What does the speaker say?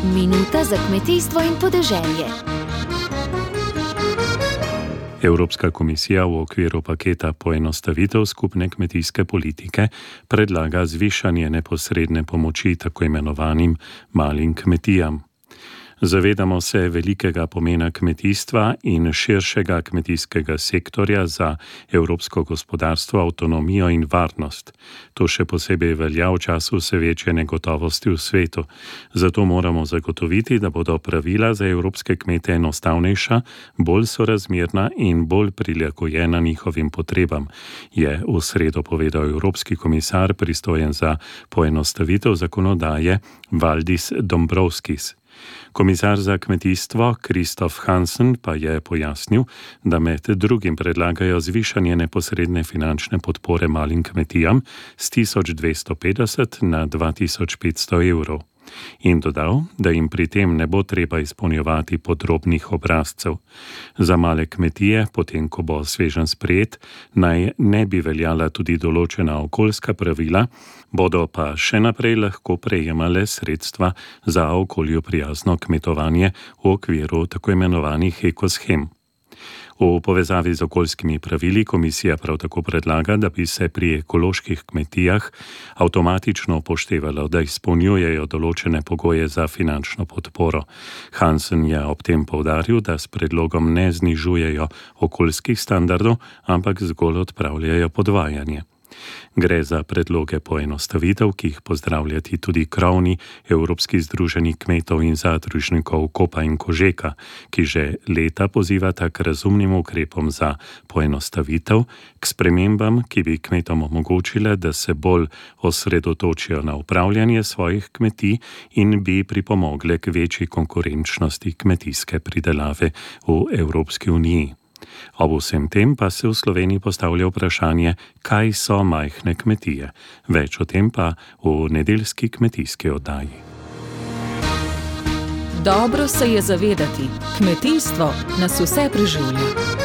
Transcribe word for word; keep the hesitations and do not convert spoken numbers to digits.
Minuta za kmetijstvo in podeželje. Evropska komisija v okviru paketa poenostavitev skupne kmetijske politike predlaga zvišanje neposredne pomoči tako imenovanim malim kmetijam. Zavedamo se velikega pomena kmetijstva in širšega kmetijskega sektorja za evropsko gospodarstvo, avtonomijo in varnost. To še posebej velja v času vse večje negotovosti v svetu. Zato moramo zagotoviti, da bodo pravila za evropske kmete enostavnejša, bolj sorazmerna in bolj prilagojena njihovim potrebam, je v sredo povedal evropski komisar pristojen za poenostavitev zakonodaje Valdis Dombrovskis. Komisar za kmetijstvo Kristof Hansen pa je pojasnil, da med drugim predlagajo zvišanje neposredne finančne podpore malim kmetijam s tisoč dvesto petdeset na dva tisoč petsto evrov. In dodal, da jim pri tem ne bo treba izpolnjevati podrobnih obrazcev. Za male kmetije, potem ko bo sveženj sprejet, naj ne bi veljala tudi določena okoljska pravila, bodo pa še naprej lahko prejemale sredstva za okolju prijazno kmetovanje v okviru tako imenovanih ekoshem. V povezavi z okoljskimi pravili komisija prav tako predlaga, da bi se pri ekoloških kmetijah avtomatično upoštevalo, da izpolnjujejo določene pogoje za finančno podporo. Hansen je ob tem poudaril, da s predlogom ne znižujejo okoljskih standardov, ampak zgolj odpravljajo podvajanje. Gre za predloge poenostavitev, ki jih pozdravljati tudi krovni Evropski združeni kmetov in zadružnikov Kopa in Kožeka, ki že leta pozivata k razumnim ukrepom za poenostavitev, k spremembam, ki bi kmetom omogočile, da se bolj osredotočijo na upravljanje svojih kmetij in bi pripomogle k večji konkurenčnosti kmetijske pridelave v Evropski uniji. Ob vsem tem pa se v Sloveniji postavlja vprašanje, kaj so majhne kmetije. Več o tem pa v nedeljski kmetijski oddaji. Dobro se je zavedati, kmetijstvo nas vse preživlja.